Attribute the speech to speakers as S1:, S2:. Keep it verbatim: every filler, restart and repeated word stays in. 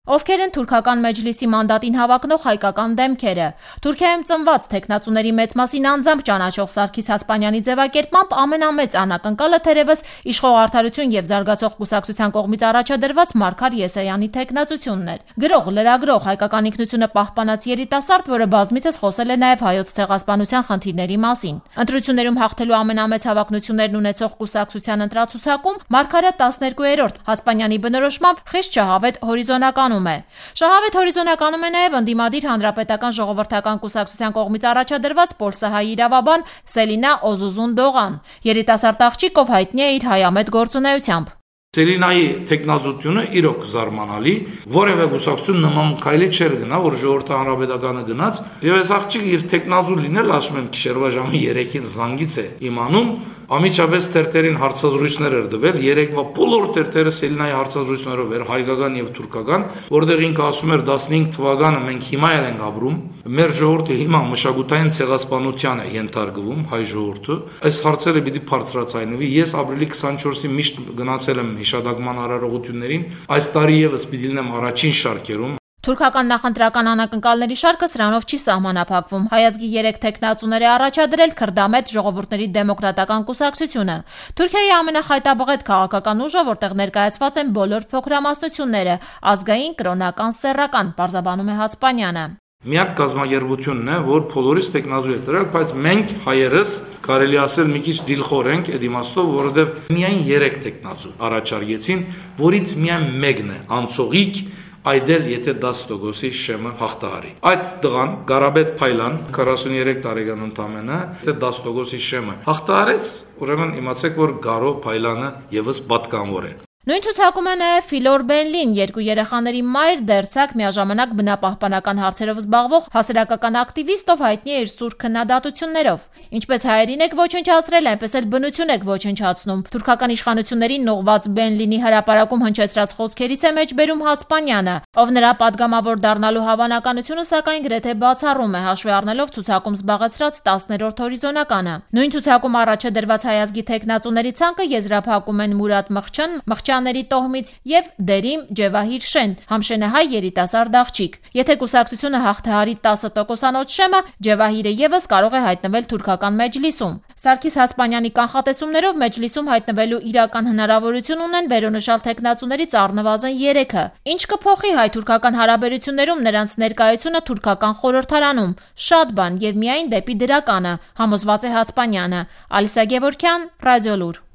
S1: Ովքեր են թուրքական մեջլիսի մանդատին հավակնող հայկական դեմքերը։ Թուրքիայում ծնված թեկնածուների մեծ մասին անձամբ ճանաչող Սարգիս Հասպանյանի ձևակերպմամբ ամենամեծ անակնկալը թերևս իշխող Արդարություն եւ զարգացող կուսակցության կողմից առաջադրված Մարգար Եսայանի թեկնածությունն էր։ Գրող, լրագրող, հայկական ինքնությունը պահպանած երիտասարդ, որը բազմիցս խոսել է նաեւ հայոց ցեղասպանության խնդիրների մասին։ Ընտրություններում հաղթելու ամենամեծ հավակնություններն ունեցող կուսակցության ընտրացուցակում Մարգարը տասներկուերորդ Հասպանյանի բնորոշմամբ խիստ շահավետ հորիզոնականում է։ Շահավետ հորիզոնականում է նաև ընդդիմադիր Հանրապետական ժողովրդական կուսակցության կողմից առաջադրված պոլսահայ իրավաբան Սելինա Օզուզուն-Դողան, երիտասարդ աղջիկ, ով հայտնի է իր հայամետ գործունեությամբ։
S2: Սելինայի թեկնածությունը իրոք զարմանալի, որևէ կուսակցություն նման քայլի չէր գնա, որ ժողովրդի հանրապետականը գնաց, եւ այս աղջիկը իր թեկնածու լինել, ասում եմ, գիշերվա ժամը երեքին զանգից է իմանում, ամիջապես թերթերին հարցազրույցներ էր տվել, երեկվա բոլոր թերթերը Սելինայի հարցազրույցներով էր, հայկական եւ թուրքական, որտեղ ինքը ասում էր տասնհինգ թվականը մենք հիմա էլ ենք ապրում, մեր ժողովուրդը հիմա մշակութային ցեղասպանության է ենթարկվում, հայ ժողովուրդը, այս հարցերը պիտի բարձրացնվի, ես ապրիլի քսանչորսին միշտ գնացել եմ հիշադակման արարողություններին, այս տարի եւս պիտի լինեմ առաջին շարքերում։
S1: Թուրքական նախընտրական անակնկալների շարքը սրանով չի սահմանափակվում։ Հայազգի երեք թեկնածուներ է առաջադրել քրդամետ ժողովուրդների դեմոկրատական կուսակցությունը։ Թուրքիայի ամենախայտաբղետ քաղաքական ուժը, որտեղ ներկայացված են բոլոր փոքրամասնությունները, ազգային, կրոնական, սեռական, պարզաբանում է Հասպանյանը։
S2: Միակ կազմակերպությունն է, որ բոլորից տեխնազու է դրել, բայց մենք հայերս կարելի ասել մի քիչ դիլխոր ենք այդ իմաստով, որովհետև միայն երեք տեխնազու առաջարկեցին, որից միայն մեկն է անցողիկ, այդ էլ եթե դաս տոկոսի շեմը հաղթահարի։ Այդ տղան Ղարաբետ Փայլան քառասուններեք տարեկան ընդամենը, եթե դաս տոկոսի շեմը հաղթահարեց, ուրեմն իմացեք, որ Գարո Փայլանը եւս պատկանավոր է։
S1: Նույն ցուցակում է նաև Ֆիլոր Բենլին, երկու երեխաների մայր, դերձակ, միաժամանակ բնապահպանական հարցերով զբաղվող հասարակական ակտիվիստ, ով հայտնի է իր սուր քննադատություններով։ Ինչպես հայերին եք ոչնչացրել, այնպես էլ բնություն եք ոչնչացնում։ Թուրքական իշխանություններին նողված Բենլինի հրապարակում հնչեցրած խոսքերից է մեջբերում Հասպանյանը, ով նրա падգամավոր դառնալու հավանականությունը սակայն գրեթե բացառում է, հաշվի առնելով ցուցակում զբաղեցրած տասներորդ հորիզոնականը։ Նույն ցուցակում առաջ է դրված հայազգի թեկնածուների ցանկը եզրափակում են Մուրադ Մխչան, Մխչյանների տոհմից եւ Դերիմ Ջևահիր Շեն, համշենահայ երիտասարդ աղջիկ։ Եթե կուսակցությունը հաղթահարի տասը տոկոսանոց շեմը, Ջևահիրը եւս կարող է հայտնվել թուրքական մեջլիսում։ Սարգիս Հասպանյանի կանխատեսումներով մեջլիսում հայտնվելու իրական հնարավորություն ունեն վերոնշյալ թեկնածուներից առնվազն երեքը։ Ինչ կփոխի հայ-թուրքական հարաբերություններում նրանց ներկայությունը թուրքական խորհրդարանում։ Շատ բան եւ միայն դեպի դրականը, համոզված է Հասպանյանը։ Ալիսա Գևորգյան, Ռադիոլուր։